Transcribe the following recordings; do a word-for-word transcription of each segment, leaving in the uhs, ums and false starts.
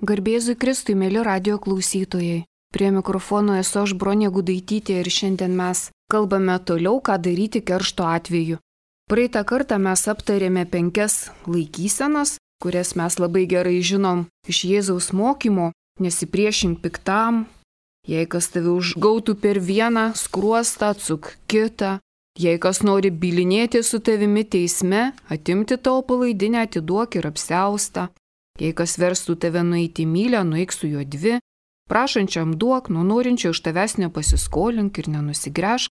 Garbėzui Kristui, mėly radio klausytojai. Prie mikrofono esu aš Bronė Gudaitytė ir šiandien mes kalbame toliau, ką daryti keršto atveju. Praeitą kartą mes aptarėme penkias laikysenas, kurias mes labai gerai žinom iš Jėzaus mokymo. Nesipriešink piktam, jei kas tave užgautų per vieną skruostą, atsuk kitą. Jei kas nori bylinėti su tavimi teisme, atimti tavo palaidinę, atiduok ir apsiaustą. Jei kas verstų tave nueiti mylę, nueik su juo dvi. Prašančiam duok, nuo norinčio iš tavęs nepasiskolink ir nenusigręžk.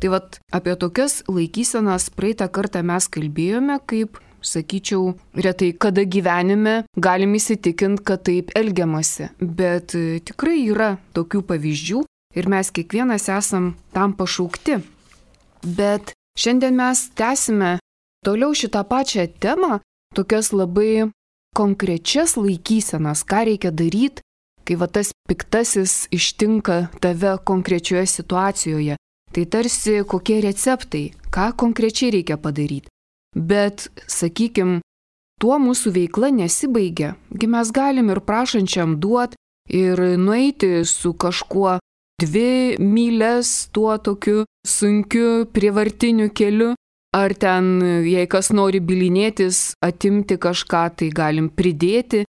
Tai vat apie tokias laikysenas praeitą kartą mes kalbėjome, kaip, sakyčiau, retai kada gyvenime galim įsitikinti, kad taip elgiamasi. Bet tikrai yra tokių pavyzdžių ir mes kiekvienas esam tam pašaukti. Bet šiandien mes tęsime toliau šitą pačią temą, tokias labai konkrečias laikysenas, ką reikia daryti, kai va tas piktasis ištinka tave konkrečioje situacijoje. Tai tarsi kokie receptai, ką konkrečiai reikia padaryti. Bet, sakykim, tuo mūsų veikla nesibaigia. Gi mes galim ir prašančiam duot, ir nueiti su kažkuo dvi myles tuo tokiu sunkiu prievartiniu keliu. Ar ten, jei kas nori bylinėtis, atimti kažką, tai galim pridėti.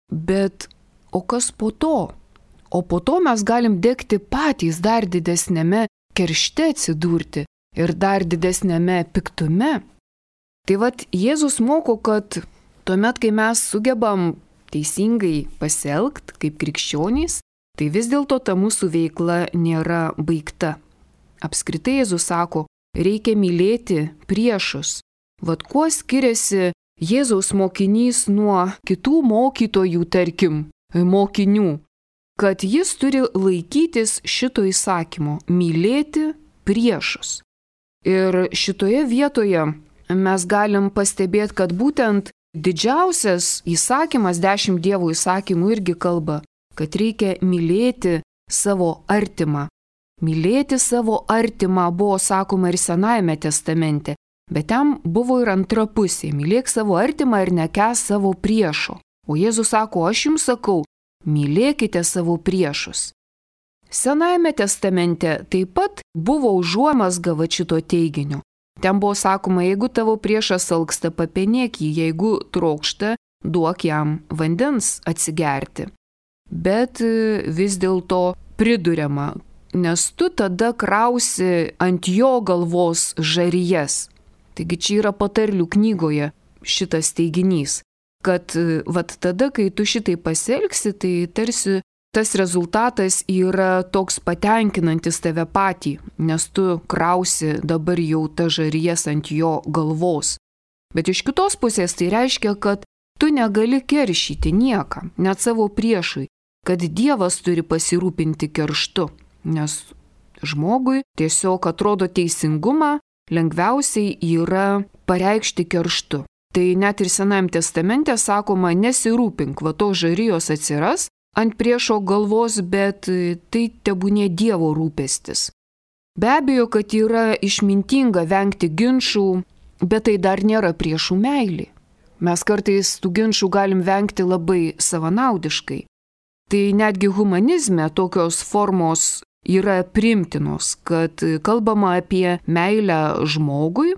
Bet o kas po to? O po to mes galim degti patys dar didesnėme keršte atsidurti ir dar didesnėme piktume. Tai vat Jėzus moko, kad tuomet, kai mes sugebam teisingai pasielgti kaip krikščionys, tai vis dėlto ta mūsų veikla nėra baigta. Apskritai Jėzus sako, reikia mylėti priešus. Vat kuo skiriasi Jėzaus mokinys nuo kitų mokytojų, tarkim, mokinių, kad jis turi laikytis šito įsakymo – mylėti priešus. Ir šitoje vietoje mes galim pastebėti, kad būtent didžiausias įsakymas, dešimt Dievo įsakymų irgi kalba, kad reikia mylėti savo artimą. Mylėti savo artimą buvo sakoma ir Senajame testamente, bet ten buvo ir antra pusė – mylėk savo artimą ir nekęsk savo priešo. O Jėzus sako, aš jums sakau, mylėkite savo priešus. Senajame testamente taip pat buvo užuomazga va šito teiginio. Ten buvo sakoma, jeigu tavo priešas alksta, papenėk jį, jeigu trokšta, duok jam vandens atsigerti. Bet vis dėlto priduriama, nes tu tada krausi ant jo galvos žarijas. Taigi čia yra patarlių knygoje šitas teiginys, kad vat tada, kai tu šitai pasielgsi, tai tarsi tas rezultatas yra toks patenkinantis tave patį, nes tu krausi dabar jau ta žarijas ant jo galvos. Bet iš kitos pusės tai reiškia, kad tu negali keršyti niekam, net savo priešui, kad Dievas turi pasirūpinti kerštu. Nes žmogui tiesiog atrodo teisingumą lengviausiai yra pareikšti kerštu. Tai net ir Senajame testamente sakoma, nesirūpink, va to žarijos atsiras ant priešo galvos, bet tai tebūnė Dievo rūpestis. Be abejo, kad yra išmintinga vengti ginčų, bet tai dar nėra priešų meilė. Mes kartais tų ginčų galim vengti labai savanaudiškai. Tai netgi humanizme tokios formos yra priimtinos, kad kalbama apie meilę žmogui,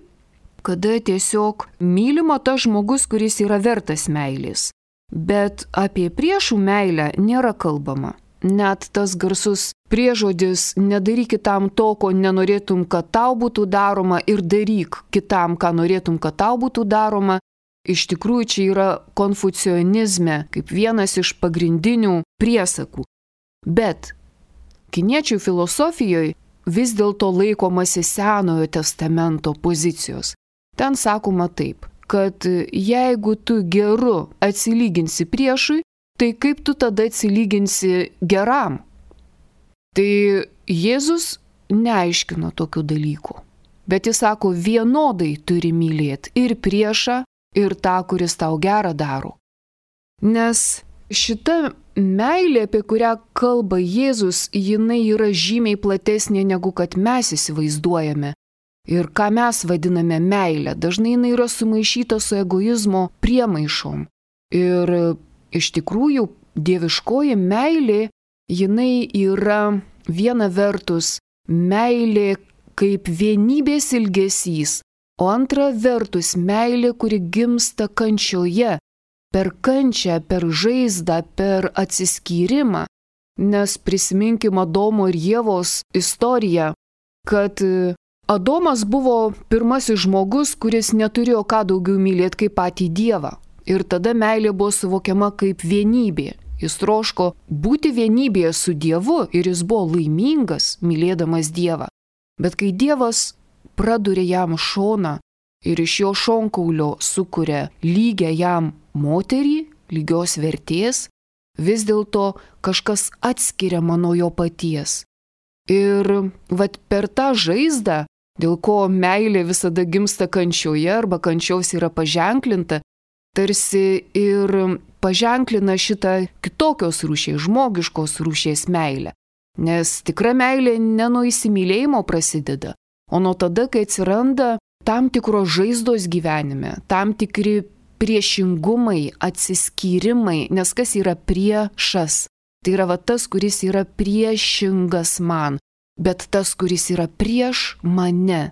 kada tiesiog mylima tas žmogus, kuris yra vertas meilės. Bet apie priešų meilę nėra kalbama. Net tas garsus priežodis nedaryk kitam to, ko nenorėtum, kad tau būtų daroma, ir daryk kitam, ką norėtum, kad tau būtų daroma. Iš tikrųjų čia yra konfucionizme kaip vienas iš pagrindinių priesakų. Bet kiniečių filosofijoje vis dėlto laikomasi Senojo testamento pozicijos. Ten sakoma taip, kad jeigu tu geru atsilyginsi priešui, tai kaip tu tada atsilyginsi geram? Tai Jėzus neaiškino tokių dalykų, bet jis sako, vienodai turi mylėti ir priešą, ir tą, kuris tau gerą daro. Nes šita meilė, apie kurią kalba Jėzus, jinai yra žymiai platesnė negu kad mes įsivaizduojame. Ir ką mes vadiname meilę, dažnai jinai yra sumaišyta su egoizmo priemaišom. Ir iš tikrųjų dieviškoji meilė, jinai yra viena vertus meilė kaip vienybės ilgesys, o antra vertus meilė, kuri gimsta kančioje, per kančią, per žaizdą, per atsiskyrimą. Nes prisiminkim Adomo ir Ievos istoriją, kad Adomas buvo pirmasis žmogus, kuris neturėjo ką daugiau mylėti kaip patį Dievą. Ir tada meilė buvo suvokiama kaip vienybė. Jis troško būti vienybėje su Dievu ir jis buvo laimingas, mylėdamas Dievą. Bet kai Dievas praduria jam šoną ir iš jo šonkaulio sukuria lygią jam moterį, lygios vertės, vis dėlto kažkas atskiriama nuo jo paties. Ir vat per tą žaizdą, dėl ko meilė visada gimsta kančioje arba kančiaus yra paženklinta, tarsi ir paženklina šitą kitokios rūšies, žmogiškos rūšies meilę. Nes tikra meilė ne nuo įsimylėjimo prasideda, o nuo tada, kai atsiranda tam tikros žaizdos gyvenime, tam tikri priešingumai, atsiskyrimai, nes kas yra priešas? Tai yra va tas, kuris yra priešingas man, bet tas, kuris yra prieš mane.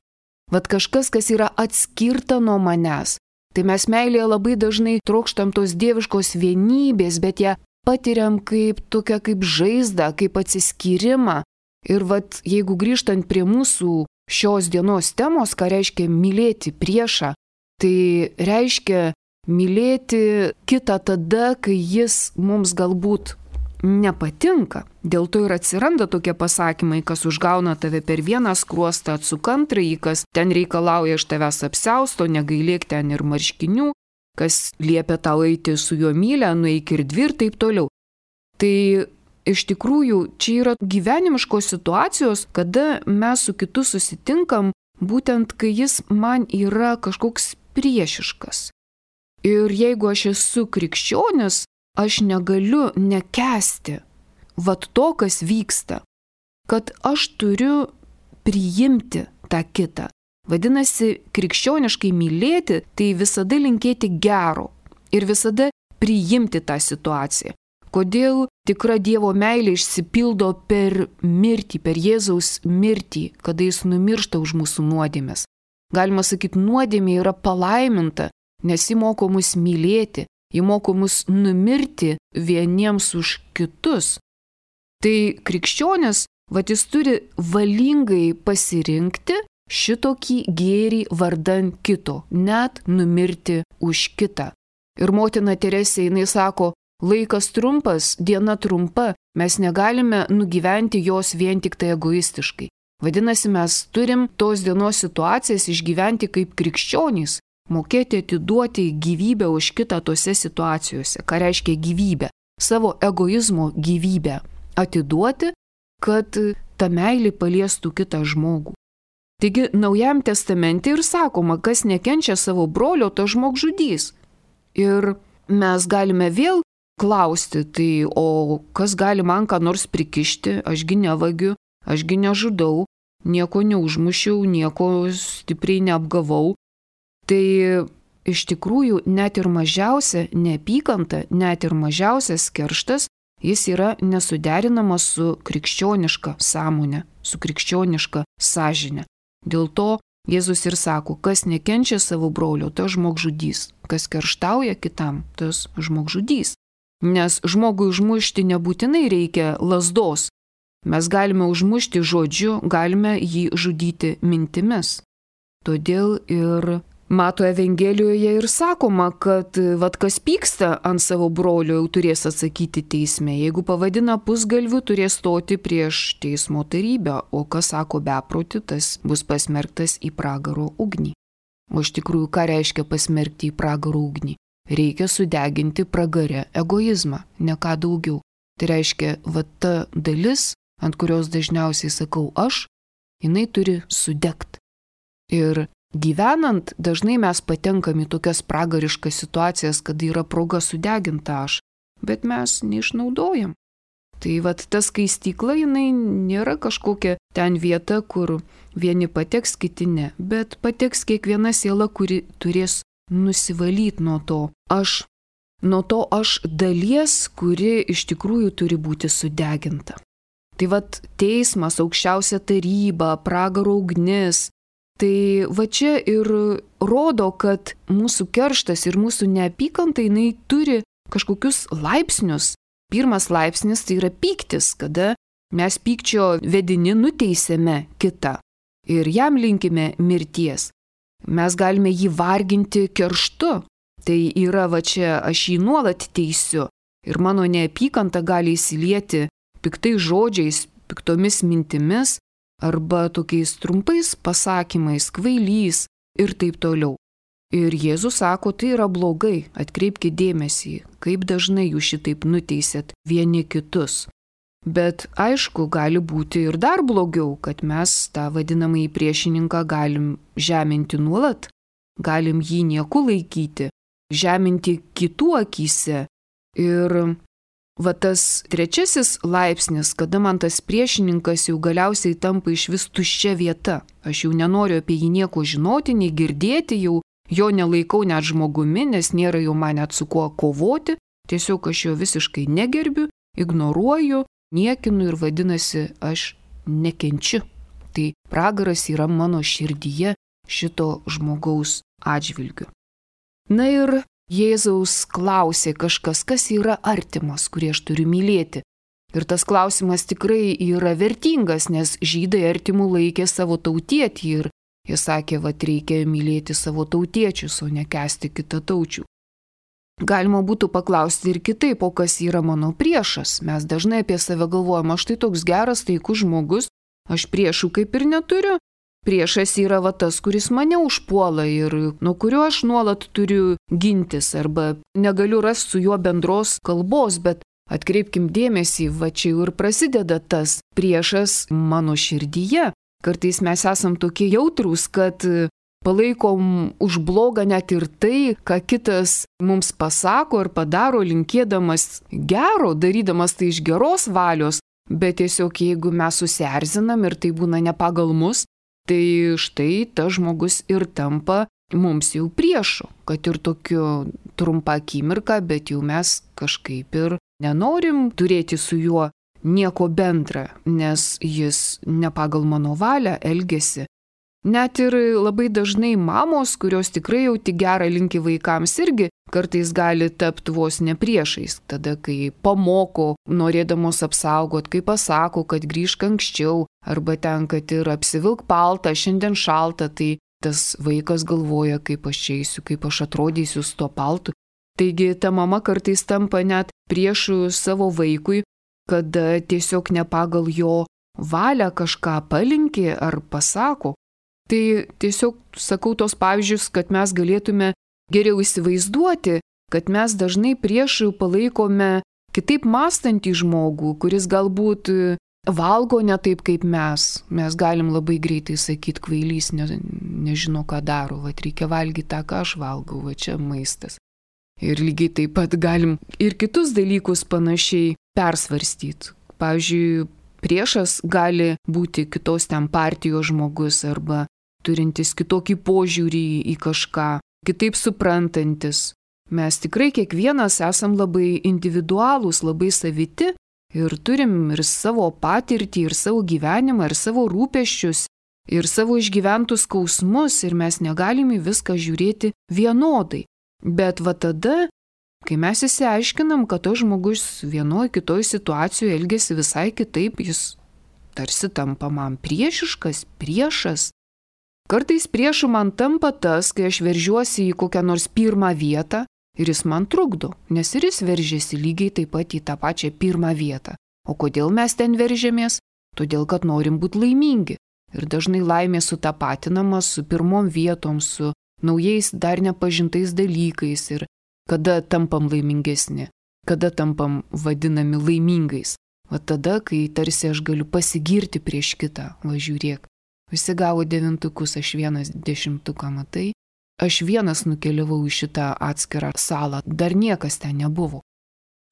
Vat kažkas, kas yra atskirta nuo manęs. Tai mes meilėje labai dažnai trokštam tos dieviškos vienybės, bet ją patiriam kaip tokią kaip žaizdą, kaip atsiskyrimą. Ir vat jeigu grįžtant prie mūsų šios dienos temos, ką reiškia mylėti priešą, tai reiškia mylėti kitą tada, kai jis mums galbūt nepatinka. Dėl to ir atsiranda tokie pasakymai, kas užgauna tave per vieną skruostą, atsuk antrąjį, kas ten reikalauja iš tavęs apsiausto, negailėk ten ir marškinių, kas liepia tau eiti su juo mylę, nueik ir dvi ir taip toliau. Tai iš tikrųjų čia yra gyvenimiškos situacijos, kada mes su kitu susitinkam, būtent kai jis man yra kažkoks priešiškas. Ir jeigu aš esu krikščionis, aš negaliu nekęsti vat to, kas vyksta, kad aš turiu priimti tą kitą. Vadinasi, krikščioniškai mylėti, tai visada linkėti gero ir visada priimti tą situaciją. Kodėl tikra Dievo meilė išsipildo per mirtį, per Jėzaus mirtį, kada jis numiršta už mūsų nuodėmes. Galima sakyti, nuodėmė yra palaiminta, nes ji moko mus mylėti, ji moko mus numirti vieniems už kitus. Tai krikščionis, vat jis turi valingai pasirinkti šitokį gėrį vardan kito, net numirti už kitą. Ir motina Teresė, jinai sako, laikas trumpas, diena trumpa, mes negalime nugyventi jos vien tik tai egoistiškai. Vadinasi, mes turim tos dienos situacijas išgyventi kaip krikščionys, mokėti atiduoti gyvybę už kitą tose situacijose. Ką reiškia gyvybę? Savo egoizmo gyvybę atiduoti, kad ta meilė paliestų kitą žmogų. Taigi, Naujajam testamente ir sakoma, kas nekenčia savo brolio, to žmogžudys. Ir mes galime vėl klausti, tai o kas gali man ką nors prikišti, ašgi nevagiu, ašgi nežudau, nieko neužmušiau, nieko stipriai neapgavau. Tai iš tikrųjų net ir mažiausia neapykanta, net ir mažiausias kerštas, jis yra nesuderinamas su krikščioniška sąmonė, su krikščioniška sąžinė. Dėl to Jėzus ir sako, kas nekenčia savo brolio, tas žmogžudys, kas kerštauja kitam, tas žmogžudys. Nes žmogui užmušti nebūtinai reikia lazdos. Mes galime užmušti žodžiu, galime jį žudyti mintimis. Todėl ir Mato Evangelijoje ir sakoma, kad vat kas pyksta ant savo brolio, jau turės atsakyti teisme. Jeigu pavadina pusgalviu, turės stoti prieš teismo tarybę, o kas sako beprotį, tas bus pasmerktas į pragaro ugnį. O iš tikrųjų, ką reiškia pasmerkti į pragaro ugnį? Reikia sudeginti pragare egoizmą, ne ką daugiau. Tai reiškia, vat ta dalis, ant kurios dažniausiai sakau aš, jinai turi sudegti. Ir gyvenant, dažnai mes patenkam į tokias pragariškas situacijas, kad yra proga sudeginta aš, bet mes neišnaudojam. Tai vat ta skaistykla, jinai nėra kažkokia ten vieta, kur vieni pateks, kiti ne, bet pateks kiekviena siela, kuri turės nusivalyti nuo to aš nuo to aš dalies, kuri iš tikrųjų turi būti sudeginta. Tai vat teismas, aukščiausia taryba, pragaro ugnis, tai va čia ir rodo, kad mūsų kerštas ir mūsų neapykanta, jinai turi kažkokius laipsnius. Pirmas laipsnis tai yra pyktis, kada mes pykčio vedini nuteisėme kitą ir jam linkime mirties. Mes galime jį varginti kerštu. Tai yra va čia aš jį nuolat teisiu ir mano neapykanta gali įsilieti piktais žodžiais, piktomis mintimis arba tokiais trumpais pasakymais, kvailys ir taip toliau. Ir Jėzus sako, tai yra blogai, atkreipkite dėmesį, kaip dažnai jūs šitaip nuteisėt vieni kitus. Bet aišku, gali būti ir dar blogiau, kad mes tą vadinamąjį priešininką galim žeminti nuolat, galim jį nieku laikyti, žeminti kitų akyse. Ir va tas trečiasis laipsnis, kada man tas priešininkas jau galiausiai tampa iš vis tuščia vieta. Aš jau nenoriu apie jį nieko žinoti, nei girdėti, jau jo nelaikau net žmogumi, nes nėra jau man net su kuo kovoti, tiesiog aš jo visiškai negerbiu, ignoruoju, niekinu ir vadinasi, aš nekenčiu. Tai pragaras yra mano širdyje šito žmogaus atžvilgiu. Na ir Jėzaus klausė kažkas, kas yra artimas, kurį aš turiu mylėti. Ir tas klausimas tikrai yra vertingas, nes žydai artimų laikė savo tautietį ir jie sakė, kad reikia mylėti savo tautiečius, o nekęsti kitataučių. Galima būtų paklausti ir kitaip, o kas yra mano priešas. Mes dažnai apie save galvojame, aš tai toks geras, taikus žmogus, aš priešų kaip ir neturiu. Priešas yra va tas, kuris mane užpuola ir nuo kurio aš nuolat turiu gintis arba negaliu rasti su juo bendros kalbos, bet atkreipkim dėmesį, va čia jau ir prasideda tas priešas mano širdyje. Kartais mes esam tokie jautrūs, kad palaikom už blogą net ir tai, ką kitas mums pasako ir padaro linkėdamas gero, darydamas tai iš geros valios, bet tiesiog jeigu mes susierzinam ir tai būna ne pagal mus, tai štai tas žmogus ir tampa mums jau priešu, kad ir tokiu trumpą akimirką, bet jau mes kažkaip ir nenorim turėti su juo nieko bendra, nes jis ne pagal mano valią elgiasi. Net ir labai dažnai mamos, kurios tikrai jau tik gerą linki vaikams, irgi kartais gali tapti vos ne priešais. Tada, kai pamoko, norėdamos apsaugot, kai pasako, kad grįžk anksčiau, arba ten, kad ir apsivilk paltą, šiandien šalta, tai tas vaikas galvoja, kaip aš čia eisiu, kaip aš atrodysiu su tuo paltu. Taigi ta mama kartais tampa net priešų savo vaikui, kada tiesiog ne pagal jo valią kažką palinkė ar pasako. Tai tiesiog sakau tos pavyzdžius, kad mes galėtume geriau įsivaizduoti, kad mes dažnai priešų palaikome kitaip mąstantį žmogų, kuris galbūt valgo ne taip kaip mes. Mes galim labai greitai sakyti, kvailys ne, nežino, ką daro, va reikia valgyti tą, ką aš valgau, va čia maistas. Ir lygiai taip pat galim ir kitus dalykus panašiai persvarstyti. Pavyzdžiui, priešas gali būti kitos ten partijos žmogus arba turintis kitokį požiūrį į kažką, kitaip suprantantis. Mes tikrai kiekvienas esam labai individualūs, labai saviti ir turim ir savo patirtį, ir savo gyvenimą, ir savo rūpesčius, ir savo išgyventus skausmus ir mes negalim į viską žiūrėti vienodai. Bet va tada, kai mes įsiaiškinam, kad to žmogus vienoje kitoje situacijoje elgesi visai kitaip, jis tarsi tampa man priešiškas, priešas. Kartais priešu man tampa tas, kai aš veržiuosi į kokią nors pirmą vietą ir jis man trukdo, nes ir jis veržiasi lygiai taip pat į tą pačią pirmą vietą. O kodėl mes ten veržiamės? Todėl, kad norim būti laimingi. Ir dažnai laimė sutapatinama su pirmom vietom, su naujais dar nepažintais dalykais ir kada tampam laimingesni, kada tampam vadinami laimingais. O tada, kai tarsi aš galiu pasigirti prieš kitą, va žiūrėk. Visi gavo devintukus, aš vienas dešimtuką, matai? Aš vienas nukeliavau į šitą atskirą salą, dar niekas ten nebuvo.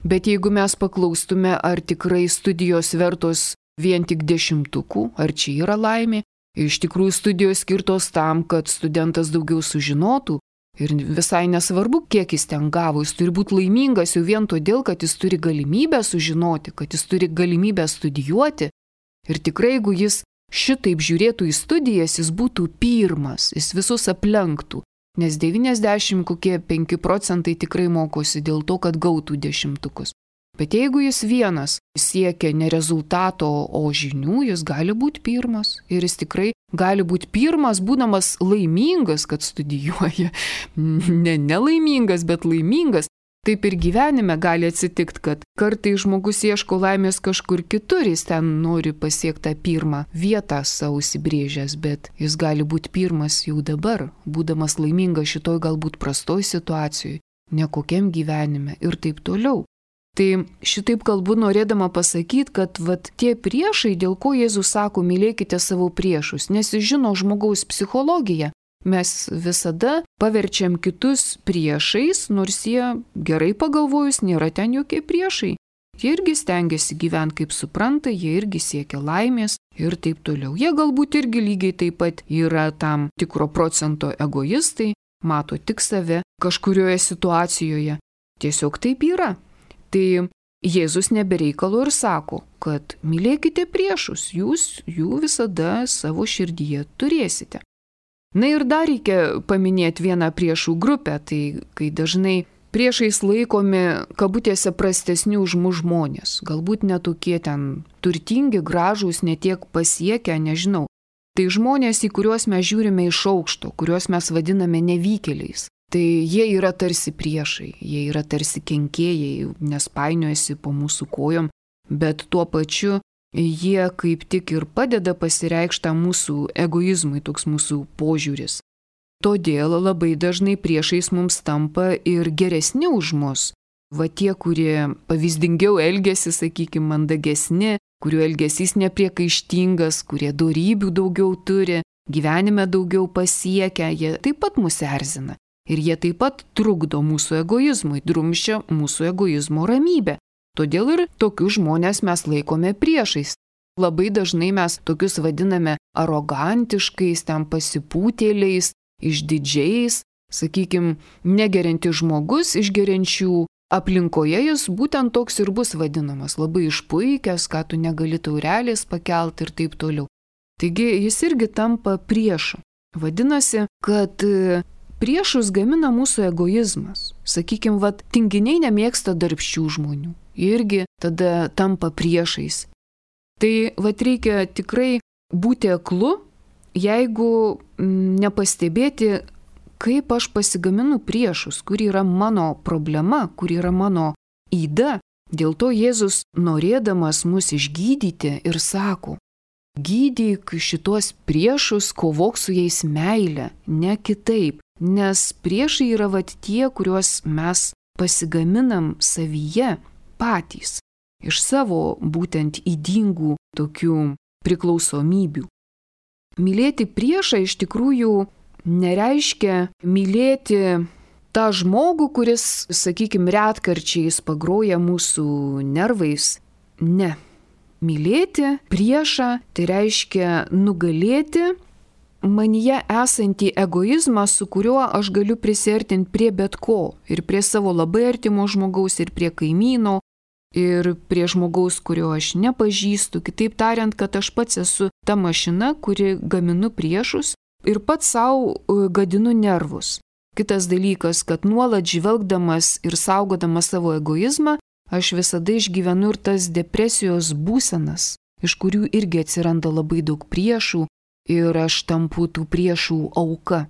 Bet jeigu mes paklaustume, ar tikrai studijos vertos vien tik dešimtukų, ar čia yra laimė, iš tikrųjų studijos skirtos tam, kad studentas daugiau sužinotų Ir visai nesvarbu, kiek jis ten gavo, jis turi būti laimingas jau vien todėl, kad jis turi galimybę sužinoti, kad jis turi galimybę studijuoti. Ir tikrai, jeigu jis šitaip žiūrėtų į studijas, jis būtų pirmas, jis visus aplenktų. Nes devyniasdešimt penki procentai tikrai mokosi dėl to, kad gautų dešimtukus. Bet jeigu jis vienas siekia ne rezultato, o žinių, jis gali būti pirmas. Ir jis tikrai gali būti pirmas, būdamas laimingas, kad studijuoja. Ne nelaimingas, bet laimingas. Taip ir gyvenime gali atsitikti, kad kartai žmogus ieško laimės kažkur kitur, jis ten nori pasiekti tą pirmą vietą savo įsibrėžęs, bet jis gali būti pirmas jau dabar, būdamas laimingas šitoj galbūt prastoj situacijoje, nekokiam gyvenime ir taip toliau. Tai šitaip kalbu norėdama pasakyti, kad vat, tie priešai, dėl ko Jėzus sako, mylėkite savo priešus, nes jis žino žmogaus psichologiją. Mes visada paverčiam kitus priešais, nors jie gerai pagalvojus nėra ten jokie priešai. Jie irgi stengiasi gyventi kaip supranta, jie irgi siekia laimės ir taip toliau. Jie galbūt irgi lygiai taip pat yra tam tikro procento egoistai, mato tik save kažkurioje situacijoje. Tiesiog taip yra. Tai Jėzus nebereikalo ir sako, kad mylėkite priešus, jūs jų visada savo širdyje turėsite. Na ir dar reikia paminėti vieną priešų grupę, tai kai dažnai priešais laikomi kabutėse prastesni už mus žmonės, galbūt netokie ten turtingi, gražūs, netiek pasiekę, nežinau. Tai žmonės, į kuriuos mes žiūrime iš aukšto, kuriuos mes vadiname nevykėliais. Tai jie yra tarsi priešai, jie yra tarsi kenkėjai, nes painiojasi po mūsų kojom, bet tuo pačiu jie kaip tik ir padeda pasireikšti mūsų egoizmui, toks mūsų požiūris. Todėl labai dažnai priešais mums tampa ir geresni už mus. Va tie, kurie pavyzdingiau elgesi, sakykime, mandagesni, kurių elgesys nepriekaištingas, kurie dorybių daugiau turi, gyvenime daugiau pasiekia, jie taip pat mus erzina. Ir jie taip pat trukdo mūsų egoizmui, drumsčia mūsų egoizmo ramybę. Todėl ir tokius žmonės mes laikome priešais. Labai dažnai mes tokius vadiname arogantiškais, ten pasipūtėliais, išdidžiais, sakykime, negeriantis žmogus iš geriančių aplinkoje jis būtent toks ir bus vadinamas, labai išpuikęs, ką tu negali taurelės pakelti ir taip toliau. Taigi jis irgi tampa priešu. Vadinasi, kad priešus gamina mūsų egoizmas. Sakykime, vat, tinginiai nemėgsta darbščių žmonių. Irgi tada tampa priešais. Tai vat reikia tikrai būti aklu, jeigu nepastebėti, kaip aš pasigaminu priešus, kur yra mano problema, kur yra mano yda. Dėl to Jėzus, norėdamas mus išgydyti, ir sako, gydyk šitos priešus, kovok su jais meile, ne kitaip. Nes priešai yra vat tie, kuriuos mes pasigaminam savyje patys, iš savo būtent ydingų tokių priklausomybių. Mylėti priešą iš tikrųjų nereiškia mylėti tą žmogų, kuris, sakykime, retkarčiais pagroja mūsų nervais. Ne. Mylėti priešą tai reiškia nugalėti manyje esantį egoizmą, su kuriuo aš galiu prisiartinti prie bet ko. Ir prie savo labai artimo žmogaus, ir prie kaimyno, ir prie žmogaus, kurio aš nepažįstu. Kitaip tariant, kad aš pats esu ta mašina, kuri gaminu priešus ir pats savo gadinu nervus. Kitas dalykas, kad nuolat žvelgdamas ir saugodamas savo egoizmą, aš visada išgyvenu ir tas depresijos būsenas, iš kurių irgi atsiranda labai daug priešų, ir aš tampu tų priešų auka.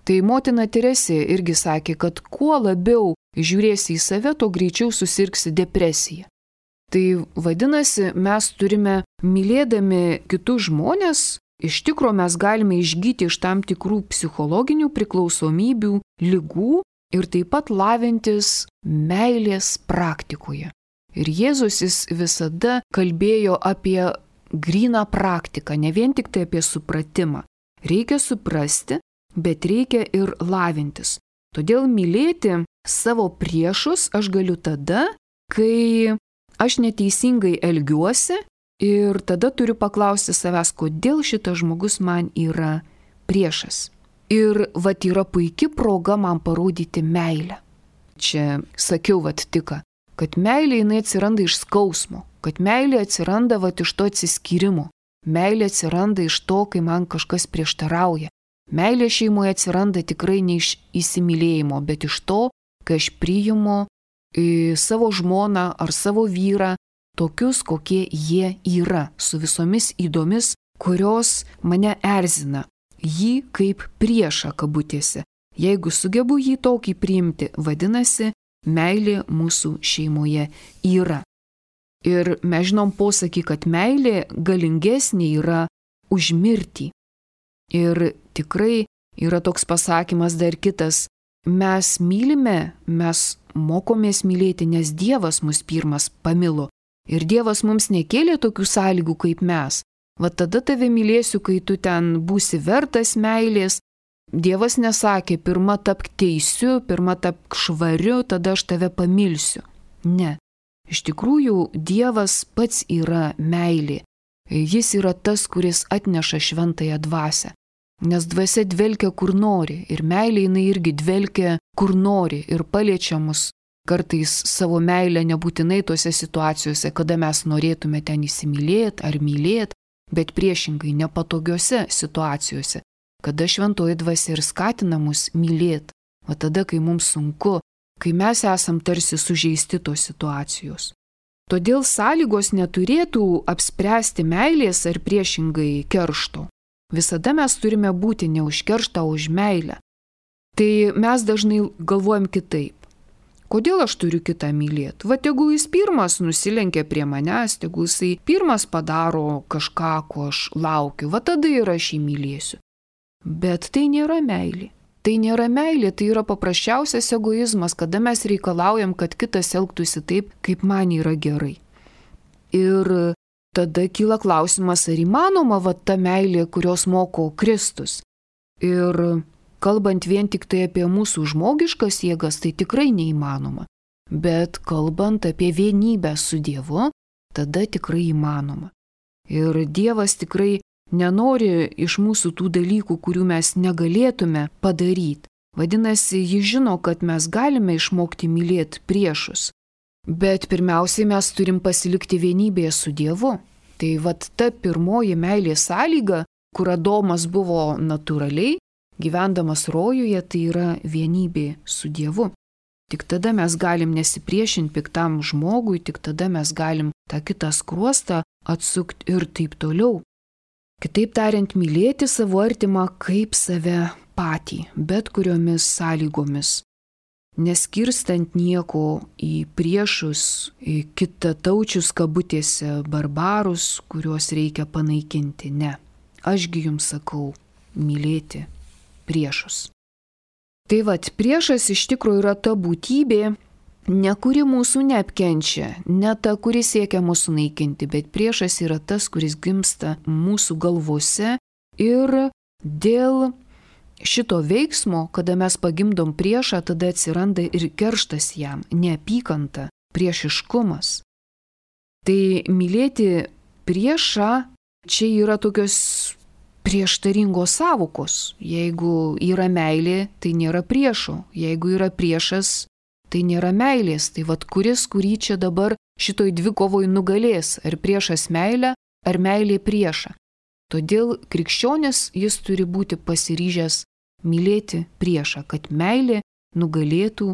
Tai motina Teresė irgi sakė, kad kuo labiau žiūrėsi į save, to greičiau susirgsi depresiją. Tai vadinasi, mes turime, mylėdami kitus žmonės, iš tikro mes galime išgyti iš tam tikrų psichologinių priklausomybių, ligų ir taip pat lavintis meilės praktikoje. Ir Jėzus jis visada kalbėjo apie gryną praktiką, ne vien tik tai apie supratimą. Reikia suprasti, bet reikia ir lavintis. Todėl mylėti savo priešus aš galiu tada, kai aš neteisingai elgiuosi ir tada turiu paklausti savęs, kodėl šitas žmogus man yra priešas. Ir vat yra puikia proga man parodyti meilę. Čia sakiau vat tik, kad meilė jinai atsiranda iš skausmo, kad meilė atsiranda vat iš to atsiskyrimo, meilė atsiranda iš to, kai man kažkas prieštarauja. Meilė šeimoje atsiranda tikrai ne iš įsimylėjimo, bet iš to, kai aš priimu savo žmoną ar savo vyrą tokius, kokie jie yra, su visomis įdomis, kurios mane erzina. Jį kaip priešą kabutėse. Jeigu sugebu jį tokį priimti, vadinasi, meilė mūsų šeimoje yra. Ir mes žinom posakį, kad meilė galingesnė yra už mirtį. Ir tikrai yra toks pasakymas dar kitas. Mes mylime, mes mokomės mylėti, nes Dievas mus pirmas pamilo. Ir Dievas mums nekėlė tokių sąlygų kaip mes. Va tada tave mylėsiu, kai tu ten būsi vertas meilės. Dievas nesakė, pirma tapk teisiu, pirma tapk švariu, tada aš tave pamilsiu. Ne. Iš tikrųjų, Dievas pats yra meilė. Jis yra tas, kuris atneša šventąją dvasią. Nes dvasia dvelkia kur nori ir meilė jinai irgi dvelkia kur nori ir paliečia mus kartais savo meilę nebūtinai tose situacijose, kada mes norėtume ten įsimylėti ar mylėti, bet priešingai nepatogiose situacijose, kada šventoji dvasia ir skatina mus mylėti, o tada, kai mums sunku, kai mes esam tarsi sužeisti tos situacijos. Todėl sąlygos neturėtų apspręsti meilės ar priešingai keršto. Visada mes turime būti ne už kerštą, o už meilę. Tai mes dažnai galvojam kitaip. Kodėl aš turiu kitą mylėti? Va, tegul jis pirmas nusilenkia prie manęs, tegul jisai pirmas padaro kažką, ko aš laukiu, va tada ir aš jį mylėsiu. Bet tai nėra meilė. Tai nėra meilė, tai yra paprasčiausias egoizmas, kada mes reikalaujam, kad kitas elgtųsi taip, kaip man yra gerai. Ir tada kyla klausimas, ar įmanoma va ta meilė, kurios moko Kristus. Ir kalbant vien tik tai apie mūsų žmogiškas jėgas, tai tikrai neįmanoma. Bet kalbant apie vienybę su Dievu, tada tikrai įmanoma. Ir Dievas tikrai nenori iš mūsų tų dalykų, kurių mes negalėtume padaryti. Vadinasi, jis žino, kad mes galime išmokti mylėti priešus. Bet pirmiausiai mes turim pasilikti vienybėje su Dievu. Tai vat ta pirmoji meilės sąlyga, kur Adomas buvo natūraliai, gyvendamas rojuje, tai yra vienybė su Dievu. Tik tada mes galim nesipriešinti piktam žmogui, tik tada mes galim tą kitą skruostą atsukti ir taip toliau. Kitaip tariant, mylėti savo artimą kaip save patį, bet kuriomis sąlygomis. Neskirstant nieko į priešus, į kitataučius kabutėse, barbarus, kuriuos reikia panaikinti. Ne. Ašgi jums sakau, mylėti priešus. Tai vat, priešas iš tikrųjų yra ta būtybė, ne kuri mūsų neapkenčia, ne ta, kuri siekia mūsų naikinti, bet priešas yra tas, kuris gimsta mūsų galvose ir dėl šito veiksmo, kada mes pagimdom priešą, tada atsiranda ir kerštas jam, neapykanta, priešiškumas. Tai mylėti priešą čia yra tokios prieštaringos sąvokos. Jeigu yra meilė, tai nėra priešo. Jeigu yra priešas, tai nėra meilės. Tai vad kuris, kurį čia dabar šitoj dvikovoj nugalės, ar priešas meilę, ar meilė priešą. Todėl krikščionis jis turi būti pasiryžęs mylėti priešą, kad meilė nugalėtų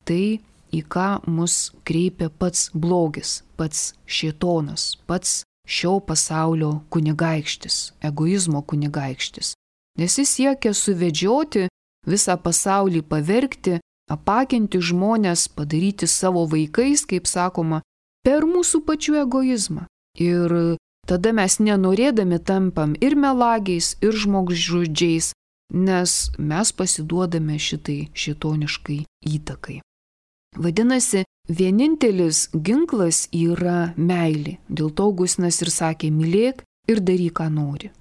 tai, į ką mus kreipia pats blogis, pats šėtonas, pats šio pasaulio kunigaikštis, egoizmo kunigaikštis. Nes jis siekia suvedžioti visą pasaulį, pavergti, apakinti žmonės, padaryti savo vaikais, kaip sakoma, per mūsų pačių egoizmą. Ir tada mes nenorėdami tampam ir melagiais, ir žmogžudžiais, nes mes pasiduodame šitai šėtoniškai įtakai. Vadinasi, vienintelis ginklas yra meilė. Dėl to Augustinas ir sakė, mylėk ir daryk, ką nori.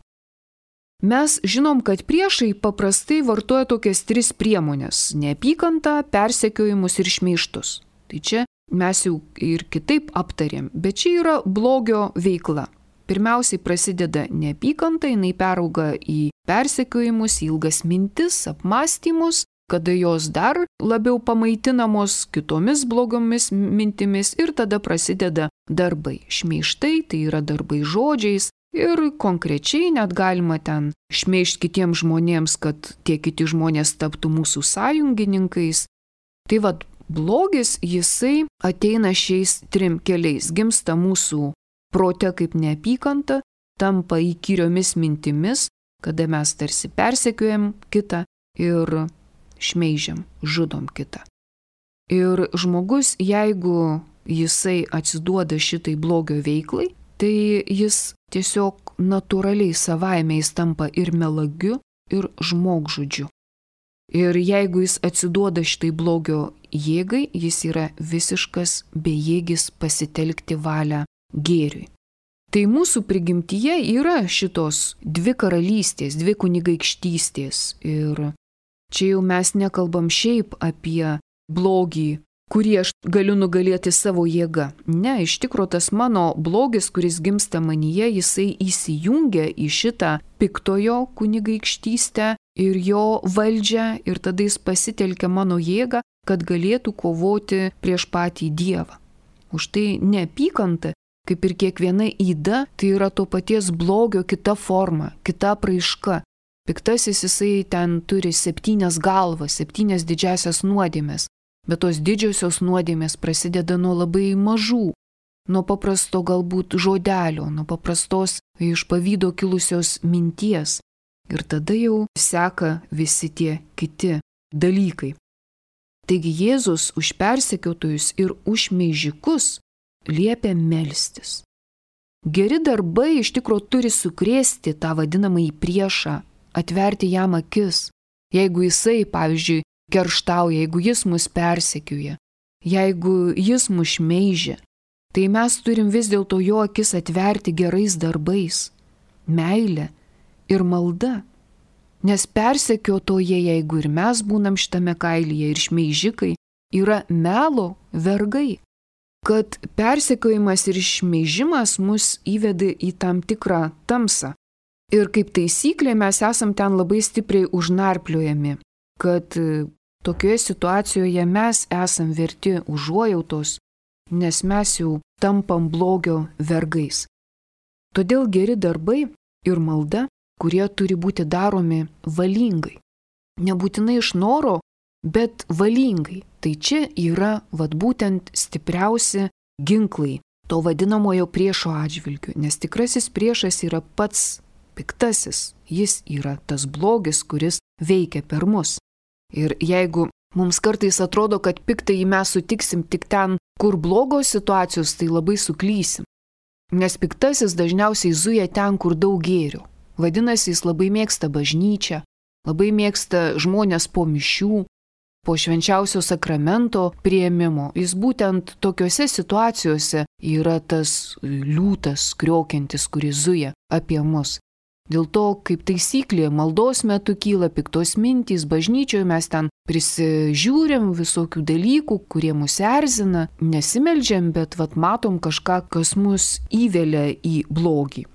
Mes žinom, kad priešai paprastai vartoja tokias tris priemonės – neapykantą, persekiojimus ir šmeižtus. Tai čia mes jau ir kitaip aptarėm, bet čia yra blogio veikla. pirmiausiai prasideda neapykanta, jinai perauga į persekiojimus, ilgas mintis, apmąstymus, kada jos dar labiau pamaitinamos kitomis blogomis mintimis ir tada prasideda darbai. Šmeižtai, tai yra darbai žodžiais ir konkrečiai net galima ten šmeižti kitiems žmonėms, kad tie kiti žmonės taptų mūsų sąjungininkais. Tai vad, blogis jisai ateina šiais trim keliais. Gimsta mūsų prote kaip neapykanta, tampa įkyriomis mintimis, kada mes tarsi persekiojam kitą ir šmeižiam, žudom kitą. Ir žmogus, jeigu jisai atsiduoda šitai blogio veiklai, tai jis tiesiog natūraliai savaime jis tampa ir melagiu, ir žmogžudžiu. Ir jeigu jis atsiduoda šitai blogio jėgai, jis yra visiškas bejėgis pasitelkti valią gėriui. Tai mūsų prigimtyje yra šitos dvi karalystės, dvi kunigaikštystės. Ir čia jau mes nekalbam šiaip apie blogį, kurį aš galiu nugalėti savo jėgą. Ne, iš tikro tas mano blogis, kuris gimsta manyje, jisai įsijungia į šitą piktojo kunigaikštystę ir jo valdžią ir tada jis pasitelkia mano jėgą, kad galėtų kovoti prieš patį Dievą. Už tai neapykanta, kaip ir kiekviena yda, tai yra to paties blogio kita forma, kita apraiška. Piktasis jisai ten turi septynias galvas, septynias didžiasias nuodėmės, bet tos didžiosios nuodėmės prasideda nuo labai mažų, nuo paprasto galbūt žodelio, nuo paprastos iš pavydo kilusios minties. Ir tada jau seka visi tie kiti dalykai. Taigi Jėzus už persekiotojus ir už šmeižikus liepia melstis. Geri darbai iš tikro turi sukrėsti tą vadinamąjį priešą, atverti jam akis. Jeigu jisai, pavyzdžiui, kerštauja, jeigu jis mus persekioja, jeigu jis mus šmeižia, tai mes turim vis dėlto jo akis atverti gerais darbais, meile ir malda. Nes persekiotoje, jeigu ir mes būnam šitame kailyje ir šmeižikai, yra melo vergai. Kad persekiojimas ir šmeižimas mus įveda į tam tikrą tamsą. Ir kaip taisyklė mes esam ten labai stipriai užnarpliojami, kad tokioje situacijoje mes esam verti užuojautos, nes mes jau tampam blogio vergais. Todėl geri darbai ir malda, kurie turi būti daromi valingai. Nebūtinai iš noro, bet valingai. Tai čia yra vat būtent stipriausi ginklai to vadinamojo priešo atžvilgiu, nes tikrasis priešas yra pats piktasis. Jis yra tas blogis, kuris veikia per mus. Ir jeigu mums kartais atrodo, kad piktąjį mes sutiksim tik ten, kur blogos situacijos, tai labai suklysim. Nes piktasis dažniausiai zuja ten, kur daug gėrio. Vadinasi, jis labai mėgsta bažnyčią, labai mėgsta žmonės po mišių, po švenčiausio sakramento priėmimo. Jis būtent tokiuose situacijose yra tas liūtas kriokiantis, kuris zuja apie mus. Dėl to, kaip taisyklė, maldos metu kyla piktos mintys, bažnyčioje mes ten prisižiūrim visokių dalykų, kurie mus erzina, nesimeldžiam, bet vat matom kažką, kas mus įvelia į blogį.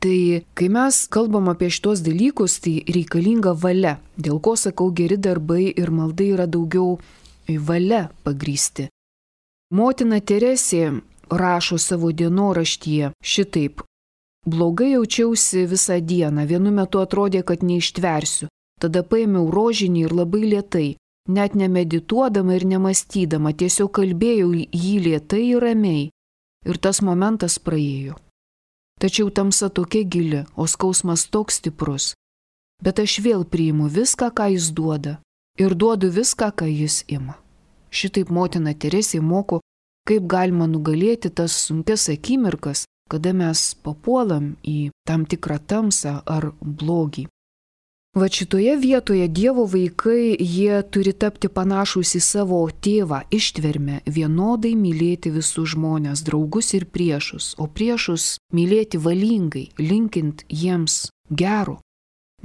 Tai kai mes kalbam apie šitos dalykus, tai reikalinga valia. Dėl ko sakau, geri darbai ir malda yra daugiau valia pagrįsti. Motina Teresė rašo savo dienoraštyje šitaip. Blogai jaučiausi visą dieną, vienu metu atrodė, kad neištversiu. Tada paėmiau rožinį ir labai lėtai, net nemedituodama ir nemastydama, tiesiog kalbėjau jį lėtai ir ramiai. Ir tas momentas praėjo. Tačiau tamsa tokia gili, o skausmas toks stiprus. Bet aš vėl priimu viską, ką jis duoda, ir duodu viską, ką jis ima. Šitaip motina Teresė moko, kaip galima nugalėti tas sunkias akimirkas, kada mes papuolam į tam tikrą tamsą ar blogį. Va šitoje vietoje Dievo vaikai, jie turi tapti panašūs į savo tėvą, ištvermę, vienodai mylėti visus žmonės, draugus ir priešus, o priešus mylėti valingai, linkint jiems gero.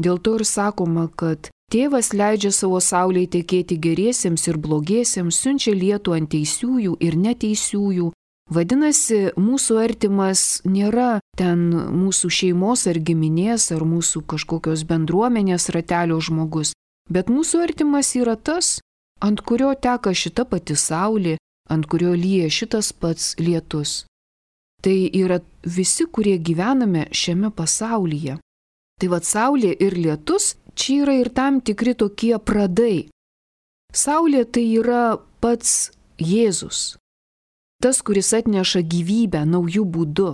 Dėl to ir sakoma, kad tėvas leidžia savo saulei tekėti geriesiems ir blogiesiems, siunčia lietų ant teisiųjų ir neteisiųjų, Vadinasi, mūsų artimas nėra ten mūsų šeimos ar giminės ar mūsų kažkokios bendruomenės ratelio žmogus, bet mūsų artimas yra tas, ant kurio teka šita pati saulė, ant kurio lyja šitas pats lietus. Tai yra visi, kurie gyvename šiame pasaulyje. Tai vad saulė ir lietus, čia yra ir tam tikri tokie pradai. Saulė tai yra pats Jėzus. Tas, kuris atneša gyvybę naujų būdų.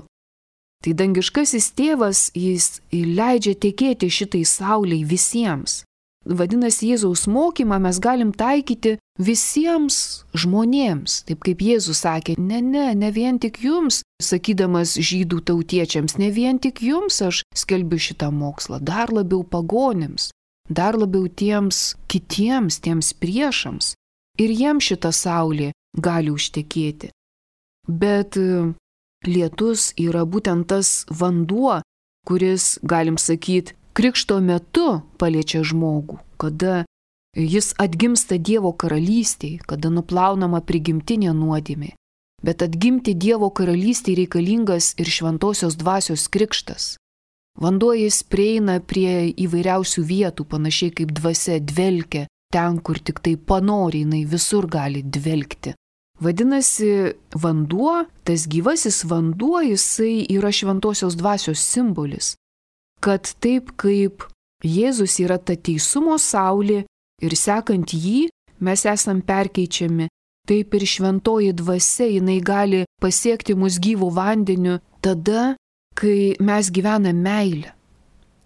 Tai dangiškasis tėvas, jis leidžia tekėti šitai sauliai visiems. Vadinasi, Jėzaus mokymą mes galim taikyti visiems žmonėms. Taip kaip Jėzus sakė, ne, ne, ne vien tik jums, sakydamas žydų tautiečiams, ne vien tik jums aš skelbiu šitą mokslą, dar labiau pagonims, dar labiau tiems kitiems, tiems priešams. Ir jiems šita saulė gali užtekėti. Bet lietus yra būtent tas vanduo, kuris, galim sakyti, krikšto metu paliečia žmogų, kada jis atgimsta Dievo karalystėje, kada nuplaunama prigimtinė nuodėmė. Bet atgimti Dievo karalystėje reikalingas ir šventosios dvasios krikštas. Vanduo jis prieina prie įvairiausių vietų, panašiai kaip dvasia dvelkia, ten, kur tik tai panori, jinai visur gali dvelkti. Vadinasi, vanduo, tas gyvasis vanduo, jisai yra šventosios dvasios simbolis. Kad taip kaip Jėzus yra ta teisumo saulė ir sekant jį mes esam perkeičiami, taip ir šventoji dvasia jinai gali pasiekti mus gyvų vandeniu tada, kai mes gyvename meilę.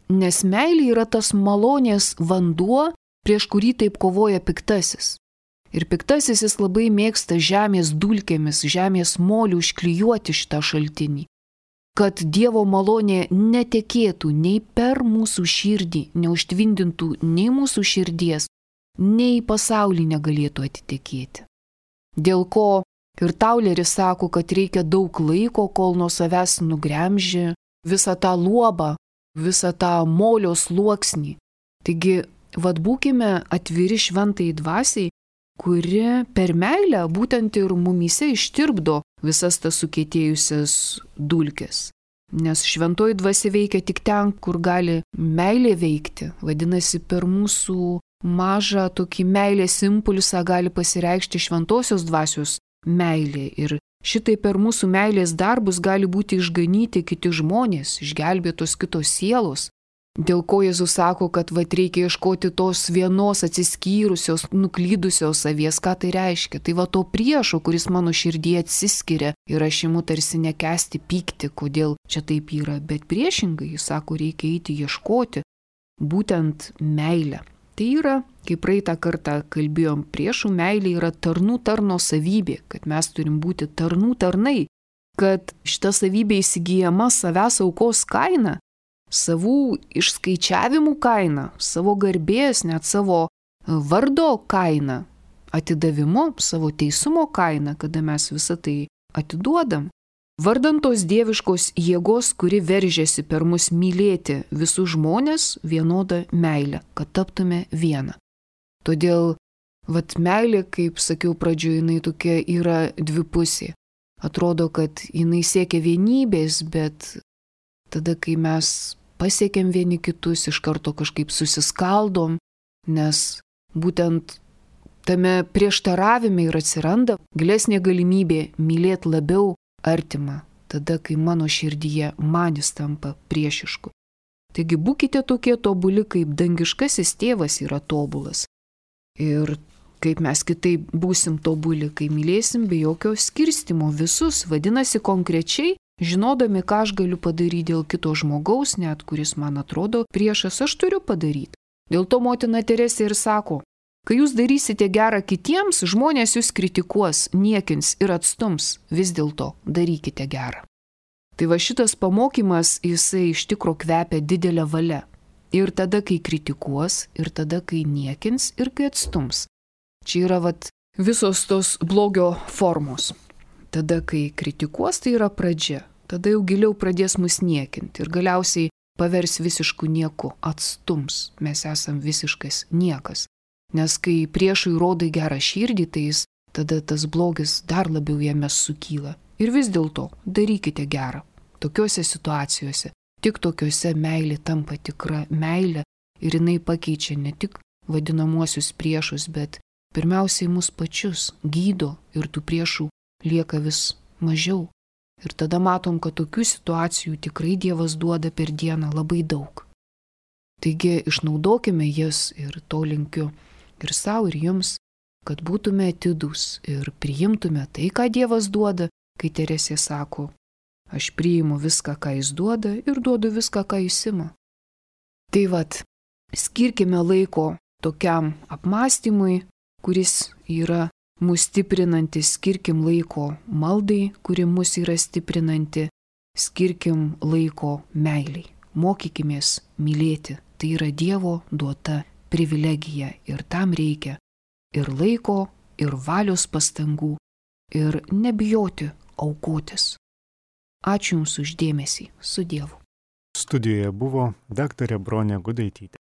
Nes meilė yra tas malonės vanduo, prieš kurį taip kovoja piktasis. Ir piktasis jis labai mėgsta žemės dulkėmis, žemės molių užklijuoti šitą šaltinį. Kad Dievo malonė netekėtų nei per mūsų širdį, neužtvindintų nei mūsų širdies, nei pasaulį negalėtų atitekėti. Dėl ko ir Tauleris sako, kad reikia daug laiko, kol nuo savęs nugremžia visą tą luobą, visą tą molio sluoksnį. Taigi, vad būkime atviri šventai dvasiai, kuri per meilę būtent ir mumyse ištirpdo visas tas sukietėjusias dulkes. Nes šventoji dvasia veikia tik ten, kur gali meilė veikti. Vadinasi, per mūsų mažą tokį meilės impulsą gali pasireikšti šventosios dvasios meilė. Ir šitai per mūsų meilės darbus gali būti išganyti kiti žmonės, išgelbėtos kitos sielos. Dėl ko Jėzus sako, kad vat reikia ieškoti tos vienos atsiskyrusios, nuklydusios avies, ką tai reiškia. Tai va to priešo, kuris mano širdyje atsiskiria ir aš imu tarsi nekęsti pykti, kodėl čia taip yra. Bet priešingai, jis sako, reikia eiti ieškoti būtent meilę. Tai yra, kaip praeitą kartą kalbėjom, priešų meilė yra tarnų tarno savybė, kad mes turim būti tarnų tarnai, kad šita savybė įsigyjama savęs aukos kaina, savų išskaičiavimų kaina, savo garbės, net savo vardo kaina, atidavimo, savo teisumo kaina, kada mes visą tai atiduodam. Vardant tos dieviškos jėgos, kuri veržiasi per mus mylėti visus žmonės vienodą meilę, kad taptume vieną. Todėl, vat meilė, kaip sakiau pradžioje, jinai tokia yra dvipusė. Atrodo, kad jinai siekia vienybės, bet tada, kai mes pasiekėm vieni kitus, iš karto kažkaip susiskaldom, nes būtent tame prieštaravime ir atsiranda gilesnė galimybė mylėti labiau artimą, tada, kai mano širdyje manis tampa priešišku. Taigi būkite tokie tobuli, kaip dangiškasis tėvas yra tobulas. Ir kaip mes kitaip būsim tobuli, kai mylėsim be jokio skirstimo visus, vadinasi konkrečiai, žinodami, ką aš galiu padaryti dėl kito žmogaus, net kuris man atrodo priešas, aš turiu padaryti. Dėl to motina Teresė ir sako, kai jūs darysite gerą kitiems, žmonės jūs kritikuos, niekins ir atstums, vis dėlto darykite gerą. Tai va šitas pamokymas, jisai iš tikro kvepia didelę valią. Ir tada, kai kritikuos, ir tada, kai niekins, ir kai atstums. Čia yra vat visos tos blogio formos. Tada, kai kritikuos, tai yra pradžia. Tada jau giliau pradės mus niekinti ir galiausiai pavers visišku nieku, atstums. Mes esam visiškas niekas. Nes kai priešui rodai gerą širdį, tai jis tada tas blogis dar labiau jame sukyla. Ir vis dėlto darykite gerą. Tokiuose situacijose, tik tokiuose meilė tampa tikra meilė ir jinai pakeičia ne tik vadinamuosius priešus, bet pirmiausiai mus pačius gydo ir tų priešų lieka vis mažiau. Ir tada matom, kad tokių situacijų tikrai Dievas duoda per dieną labai daug. Taigi išnaudokime jas ir to linkiu ir savo, ir jums, kad būtume atidūs ir priimtume tai, ką Dievas duoda, kai Teresė sako, aš priimu viską, ką jis duoda ir duodu viską, ką jis ima. Tai vat, skirkime laiko tokiam apmąstymui, kuris yra mus stiprinantis, skirkim laiko maldai, kuri mus yra stiprinanti, skirkim laiko meiliai. Mokykimės mylėti, tai yra Dievo duota privilegija ir tam reikia ir laiko, ir valios pastangų, ir nebijoti aukotis. Ačiū Jums už dėmesį, su Dievu. Studijoje buvo daktarė Bronė Gudaitytė.